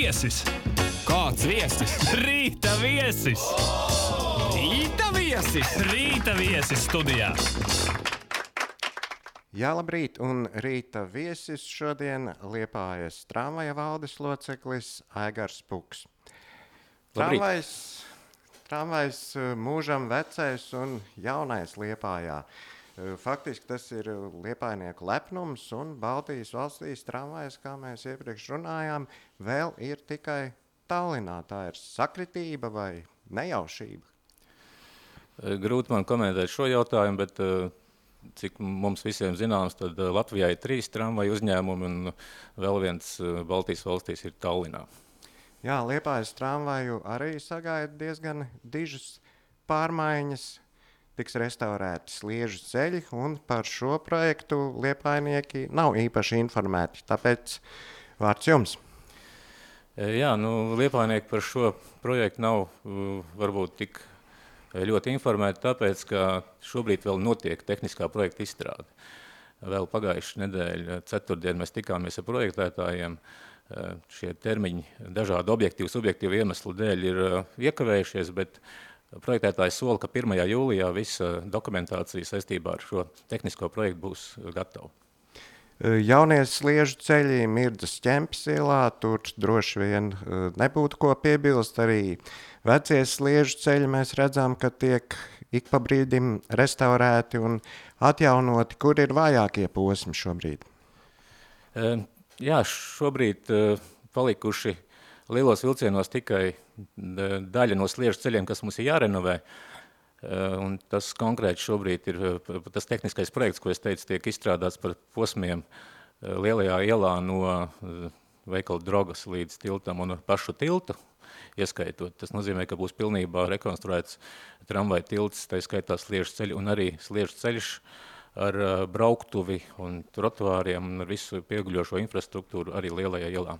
viesis. Kāds viesis? Rīta viesis. Rīta viesis? Rīta viesis studijā. Jā, labrīt, un rīta viesis šodien Liepājas tramvaja valdes loceklis Aigars Puks. Tramvajs mūžam vecais un jaunais Liepājā. Faktiski tas ir liepājnieku lepnums, un Baltijas valstīs tramvajs, kā mēs iepriekš runājām, vēl ir tikai Tallinā. Tā ir sakritība vai nejaušība? Grūti man komentēt šo jautājumu, bet cik mums visiem zināms, tad Latvijā ir 3 tramvaju uzņēmumi, un vēl viens Baltijas valstīs ir Tallinā. Jā, Liepājas tramvaju arī sagaida diezgan dižas pārmaiņas. Tiks restaurēti Sliežu ceļi, un par šo projektu liepājnieki nav īpaši informēti. Tāpēc vārds jums. Jā, liepājnieki par šo projektu nav varbūt tik ļoti informēti, tāpēc, ka šobrīd vēl notiek tehniskā projekta izstrāde. Vēl pagājušajā nedēļā, ceturtdien, mēs tikāmies ar projektētājiem. Šie termiņi dažādu objektīvu, subjektīvu iemeslu dēļ ir iekavējušies, bet projektētājs sola, ka 1. jūlijā visa dokumentācija saistībā ar šo tehnisko projektu būs gatava. Jaunie Sliežu ceļi Mirdzas Ķempes ielā, tur droši vien nebūtu ko piebilst. Arī vecie Sliežu ceļi mēs redzam, ka tiek ik pa brīdim restaurēti un atjaunoti. Kur ir vājākie posmi šobrīd? Jā, šobrīd palikuši lielos vilcienos tikai daļa no Sliežu ceļiem, kas mums ir jārenovē. Un tas konkrēti šobrīd ir tas tehniskais projekts, ko es teicu, tiek izstrādāts par posmiem lielajā ielā no veikala Drogas līdz tiltam un pašu tiltu ieskaitot. Tas nozīmē, ka būs pilnībā rekonstruēts tramvaja tilts, tā skaitā Sliežu ceļi un arī Sliežu ceļš ar brauktuvi un trotuāriem un ar visu pieguļošo infrastruktūru arī lielajā ielā.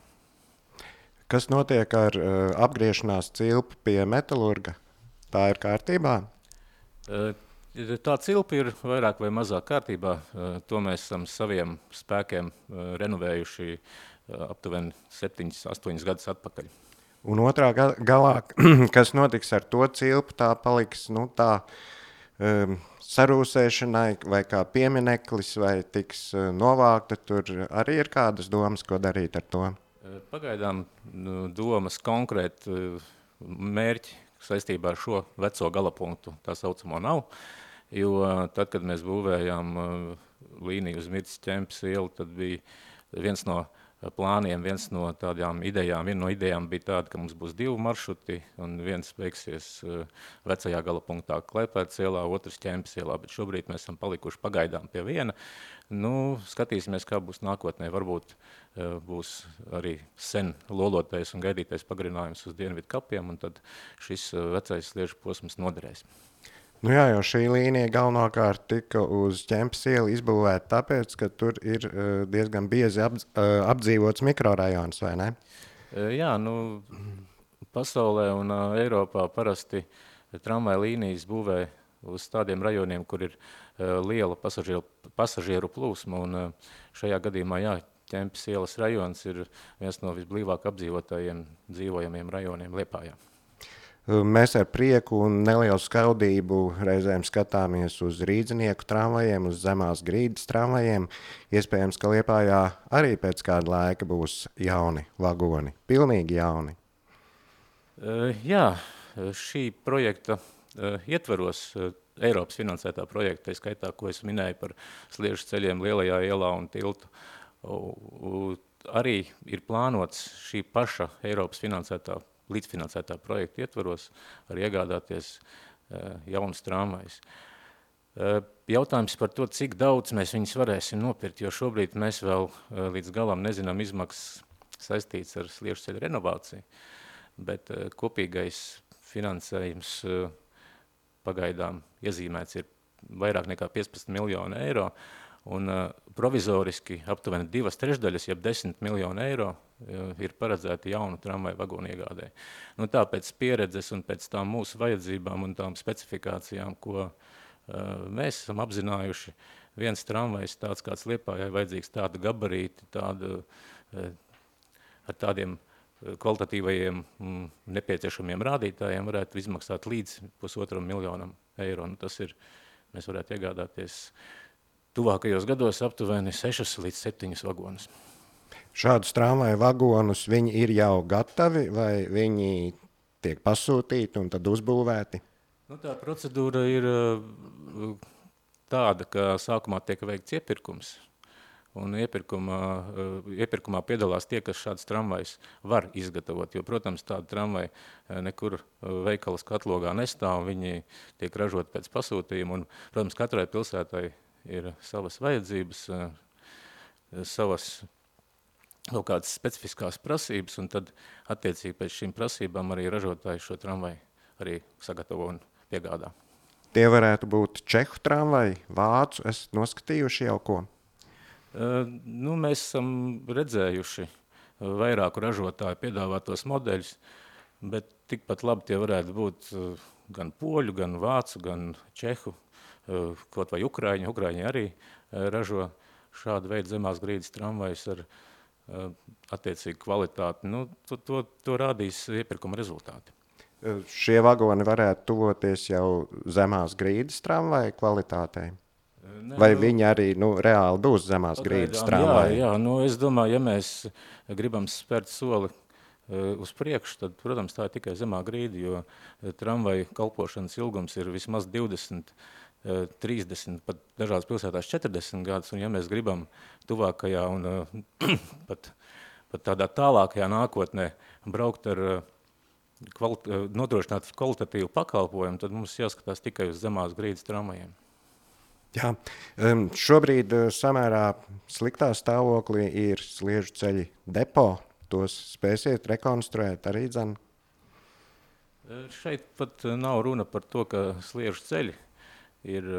Kas notiek ar apgriešanās cilpu pie Metalurga? Tā ir kārtībā? Tā cilpa ir vairāk vai mazāk kārtībā. To mēs esam saviem spēkiem renovējuši aptuveni 7-8 gadus atpakaļ. Un otrā galā, kas notiks ar to cilpu, tā paliks sarūsēšanai vai kā piemineklis, vai tiks novākta? Tur arī ir kādas domas, ko darīt ar to? Pagaidām domas konkrēti mērķi saistībā ar šo veco galapunktu tā saucamo nav, jo tad, kad mēs būvējām līniju uz Mirdzas Ķempes ielu, tad bija viens no plāniem, viena no idejām bija tāda, ka mums būs 2 maršruti, un viens beigsies vecajā galapunktā Klaipēdas ielā, otrs Ķempes ielā, bet šobrīd mēs esam palikuši pagaidām pie viena. Skatīsimies, kā būs nākotnē. Varbūt būs arī sen lolotais un gaidītais pagarinājums uz dienvidu kapiem, un tad šis vecais Sliežu posms noderēs. Jā, jo šī līnija galvenokārt tika uz Ķempes ielu izbūvēta tāpēc, ka tur ir diezgan biezi apdzīvots mikrorajons, vai ne? Jā, pasaulē un Eiropā parasti tramvaja līnijas būvē uz tādiem rajoniem, kur ir liela pasažieru plūsma, un šajā gadījumā, Ķempes ielas rajons ir viens no visblīvāk apdzīvotajiem dzīvojamiem rajoniem Liepājā. Mēs ar prieku un nelielu skaudību reizēm skatāmies uz rīdzinieku tramvajiem, uz zemās grīdas tramvajiem. Iespējams, ka Liepājā arī pēc kāda laika būs jauni vagoni, pilnīgi jauni. Jā, šī projekta ietveros Eiropas finansētā projekta, tā skaitā, ko es minēju par Sliežu ceļiem lielajā ielā un tiltu. Arī ir plānots šī paša Eiropas līdzfinansētā projekta ietvaros arī iegādāties jaunus tramvajus. Jautājums par to, cik daudz mēs viņus varēsim nopirkt, jo šobrīd mēs vēl līdz galam nezinām izmaksas saistīts ar Sliežu ceļu renovāciju, bet kopīgais finansējums pagaidām iezīmēts ir vairāk nekā 15 miljonu eiro, un provizoriski aptuveni 2/3, jeb 10 miljonu eiro ir paredzēti jaunu tramvaju vagonu iegādē. Tāpēc pieredzes un pēc tām mūsu vajadzībām un tām specifikācijām, ko mēs esam apzinājuši, viens tramvajs tāds kāds Liepājai vajadzīgs tādu gabarīti, ar tādiem kvalitatīvajiem nepieciešamiem rādītājiem varētu izmaksāt līdz 1,5 miljonam eiro. Nu, tas ir, mēs varētu iegādāties tuvākajos gados aptuveni 6 līdz 7 vagonus. Šādus tramvaju vagonus viņi ir jau gatavi vai viņi tiek pasūtīti un tad uzbūvēti? Nu, tā procedūra ir tāda, ka sākumā tiek veikts iepirkums. Un iepirkumā piedalās tie, kas šādas tramvajas var izgatavot, jo, protams, tāda tramvaja nekur veikalas katlogā nestāv, viņi tiek ražot pēc pasūtījuma, un, protams, katrai pilsētai ir savas vajadzības, savas kaut kādas specifiskās prasības, un tad, attiecīgi pēc šīm prasībām arī ražotāji šo tramvaju arī sagatavo un piegādā. Tie varētu būt čehu tramvaji, vācu, esat noskatījuši jau ko? Nu, mēs esam redzējuši vairāku ražotāju piedāvātos modeļus, bet tikpat labi tie varētu būt gan poļu, gan vācu, gan čehu, kaut vai ukraiņi. Ukraiņi arī ražo šādu veidu zemās grīdas tramvajus ar attiecīgu kvalitāti. Nu, to rādīs iepirkuma rezultāti. Šie vagoni varētu tuvoties jau zemās grīdas tramvaju kvalitātei? Vai viņi arī reāli būs zemās grīdas tramvaji? Jā, es domāju, ja mēs gribam spērt soli uz priekšu, tad, protams, tā ir tikai zemā grīda, jo tramvaju kalpošanas ilgums ir vismaz 20, 30, pat dažās pilsētās 40 gadus, un ja mēs gribam tuvākajā un pat tādā tālākajā nākotnē braukt ar nodrošināt kvalitatīvu pakalpojumu, tad mums jāskatās tikai uz zemās grīdas tramvajiem. Jā, šobrīd samērā sliktā stāvoklī ir sliežu ceļi depo. Tos spēsiet rekonstruēt arī dzen? Šeit pat nav runa par to, ka sliežu ceļi ir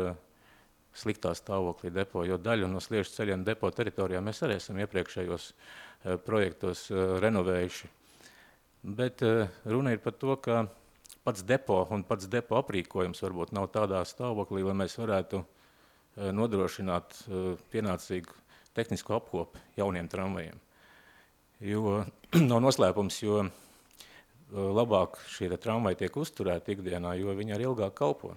sliktā stāvoklī depo, jo daļu no sliežu ceļiem depo teritorijā mēs arī esam iepriekšējos projektos renovējuši. Bet runa ir par to, ka pats depo un pats depo aprīkojums varbūt nav tādā stāvoklī, lai mēs varētu nodrošināt pienācīgu tehnisko apkopi jauniem tramvajiem. Jo nav noslēpums, jo labāk šie tramvaji tiek uzturēti ikdienā, jo viņi arī ilgāk kalpo.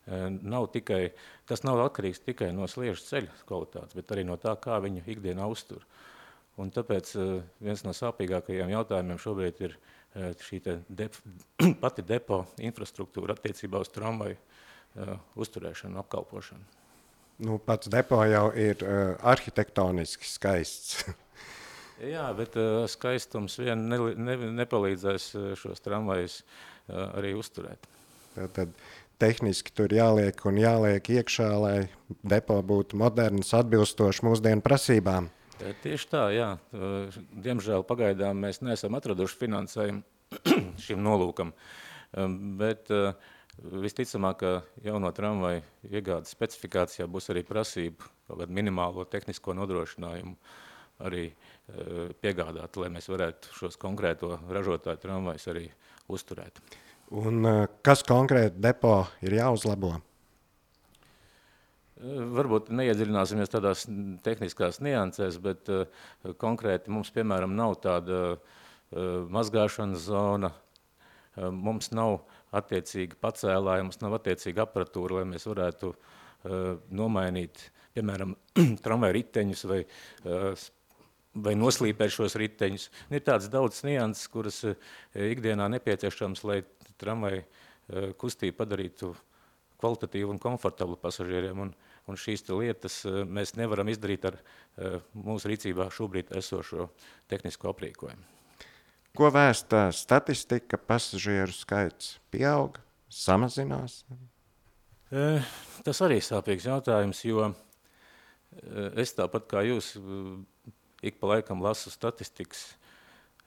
Tas nav atkarīgs tikai no sliežu ceļu kvalitātes, bet arī no tā, kā viņu ikdienā uztur. Un tāpēc viens no sāpīgākajiem jautājumiem šobrīd ir šī pati depo infrastruktūra attiecībā uz tramvaju uzturēšanu, apkalpošanu. Pats depo jau ir arhitektoniski skaists. Jā, bet skaistums vien nepalīdzēs šos tramvajus arī uzturēt. Tad tehniski tur jāliek iekšā, lai depo būtu moderns, atbilstoši mūsdienu prasībām. Tieši tā, jā. Diemžēl pagaidām mēs neesam atraduši finansējumu šim nolūkam, bet visticamāk, ka jauno tramvaju iegādes specifikācijā būs arī prasība kaut kādu minimālo tehnisko nodrošinājumu arī piegādāt, lai mēs varētu šos konkrēto ražotāju tramvajus arī uzturēt. Un kas konkrēti depo ir jāuzlabo? Varbūt neiedziļināsimies tādās tehniskās niansēs, bet konkrēti mums, piemēram, nav tāda mazgāšanas zona, mums nav attiecīgi pacēlāji, mums nav attiecīga aparatūra, lai mēs varētu nomainīt, piemēram, tramvaju riteņus vai noslīpēt šos riteņus. Ir tāds daudz nianses, kuras ikdienā nepieciešams, lai tramvaju kustību padarītu kvalitatīvu un komfortablu pasažieriem, un šīs lietas mēs nevaram izdarīt ar mūsu rīcībā šobrīd esošo tehnisko aprīkojumu. Ko vēsta statistika, pasažieru skaits pieaug, samazinās? Tas arī sāpīgs jautājums, jo es tāpat kā jūs ik pa laikam lasu statistikas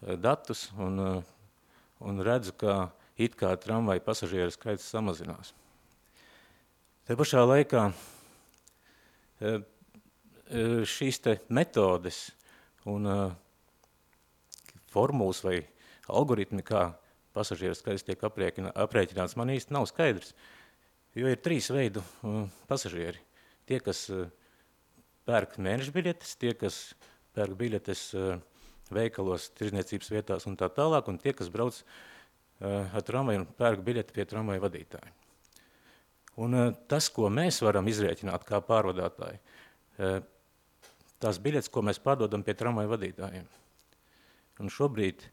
datus un redzu, ka it kā tramvaju pasažieru skaits samazinās. Te pašā laikā šīs metodes un formulas vai algoritmi, kā pasažieru skaits tiek aprēķināts, man īsti nav skaidrs. Jo ir 3 veidu pasažieri. Tie, kas pērk mēneša biļetes, tie, kas pērk biļetes veikalos, tirzniecības vietās un tā tālāk, un tie, kas brauc ar tramvaju un pērk biļeti pie tramvaju vadītāja. Un tas, ko mēs varam izrēķināt kā pārvadātāji, tās biļetes, ko mēs pārdodam pie tramvaju vadītājiem. Un šobrīd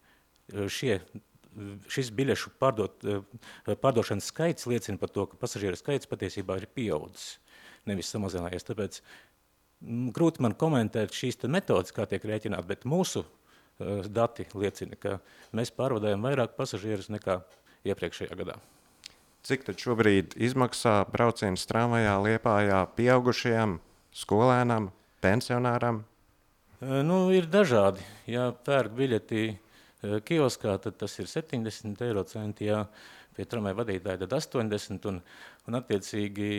šis biļešu pārdošanas skaits liecina par to, ka pasažieru skaits patiesībā ir pieaudzis, nevis samazinājies. Tāpēc grūti man komentēt šīs metodas, kā tiek rēķināt, bet mūsu dati liecina, ka mēs pārvadājam vairāk pasažierus nekā iepriekšējā gadā. Cik tad šobrīd izmaksā brauciens tramvajā Liepājā pieaugušajam, skolēnam, pensionāram? Ir dažādi. Ja pērk biļeti kioskā, tad tas ir 70 eiro centi, ja pie tramvaju vadītāja tad 80, un attiecīgi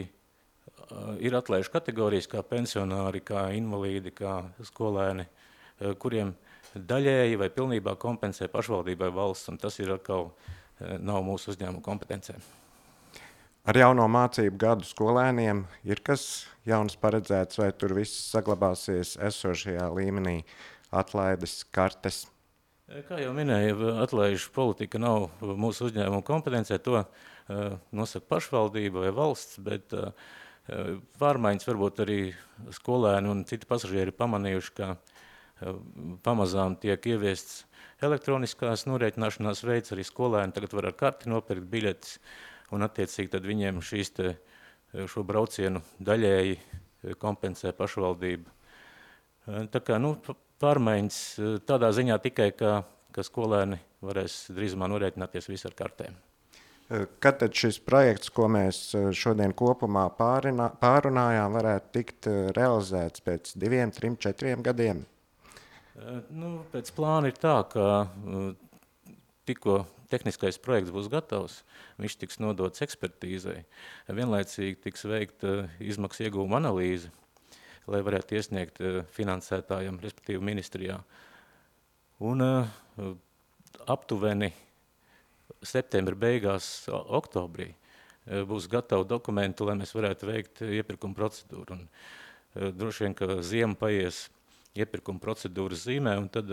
ir atlaižu kategorijas kā pensionāri, kā invalīdi, kā skolēni, kuriem daļēji vai pilnībā kompensē pašvaldībai valsts, un tas ir atkal nav mūsu uzņēmuma kompetencē. Ar jauno mācību gadu skolēniem ir kas jauns paredzēts, vai tur viss saglabāsies esošajā līmenī, atlaides, kartes? Kā jau minēju, atlaižu politika nav mūsu uzņēmuma kompetencē, to nosaka pašvaldība vai valsts, bet pārmaiņas varbūt arī skolēni un citi pasažieri pamanījuši, ka pamazām tiek ieviests elektroniskās norēķināšanās veids, arī skolēni tagad var ar karti nopirkt biļetes, un attiecīgi tad viņiem šo braucienu daļēji kompensē pašvaldība. Tā kā, pārmaiņas tādā ziņā tikai, ka skolēni varēs drīzumā norēķināties visi ar kartēm. Kad tad šis projekts, ko mēs šodien kopumā pārunājām, varētu tikt realizēts pēc 2, 3, 4 gadiem? Pēc plāna ir tā, ka tikko tehniskais projekts būs gatavs, viņš tiks nodots ekspertīzei. Vienlaicīgi tiks veikta izmaksu ieguvuma analīze, lai varētu iesniegt finansētājiem, respektīvi ministrijā. Un aptuveni septembra beigās, oktobrī būs gatavi dokumenti, lai mēs varētu veikt iepirkuma procedūru. Un droši vien, ka ziema paies iepirkuma procedūras zīmē, un tad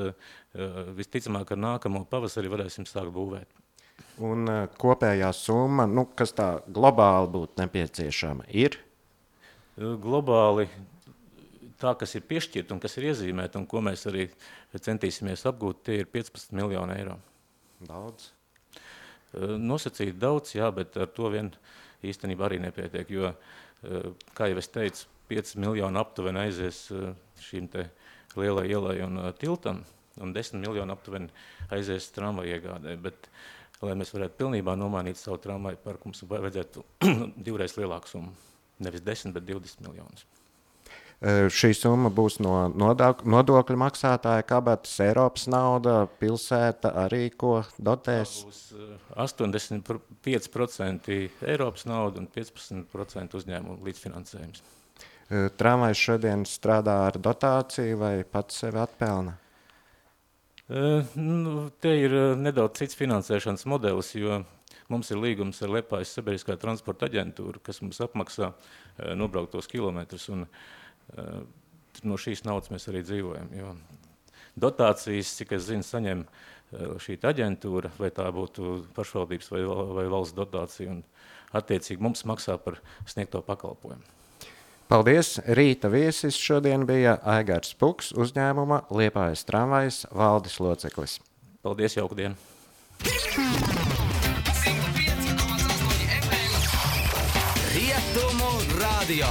visticamāk ar nākamo pavasari varēsim sākt būvēt. Un kopējā summa, kas tā globāli būtu nepieciešama, ir? Globāli tā, kas ir piešķirta un kas ir iezīmēta, un ko mēs arī centīsimies apgūt, tie ir 15 miljoni eiro. Daudz? Nosacīt daudz, jā, bet ar to vien īstenībā arī nepietiek, jo, kā jau es teicu, 5 miljoni aptuveni aizies šīm te lielai ielai un tiltam, un 10 miljoni aptuveni aizies tramvaju iegādē, bet, lai mēs varētu pilnībā nomainīt savu tramvaju parku, mums vajadzētu 2 reizes lielāku summu, nevis 10, bet 20 miljonus. Šī summa būs no nodokļu maksātāja kabatas, Eiropas nauda, pilsēta arī ko dotēs? Tā būs 85% Eiropas nauda un 15% uzņēmumu līdzfinansējums. Tramvajs šodien strādā ar dotāciju vai pats sevi atpelna? Te ir nedaudz cits finansēšanas modelis, jo mums ir līgums ar Liepājas sabiedriskā transporta aģentūru, kas mums apmaksā nobrauktos kilometrus, un no šīs naudas mēs arī dzīvojam. Jo dotācijas, cik es zinu, saņem šī aģentūra, vai tā būtu pašvaldības vai valsts dotācija, un attiecīgi mums maksā par sniegto pakalpojumu. Paldies! Rīta viesis šodien bija Aigars Puks, uzņēmuma Liepājas tramvajs valdes loceklis. Paldies, jauku dienu! Rietumu radio.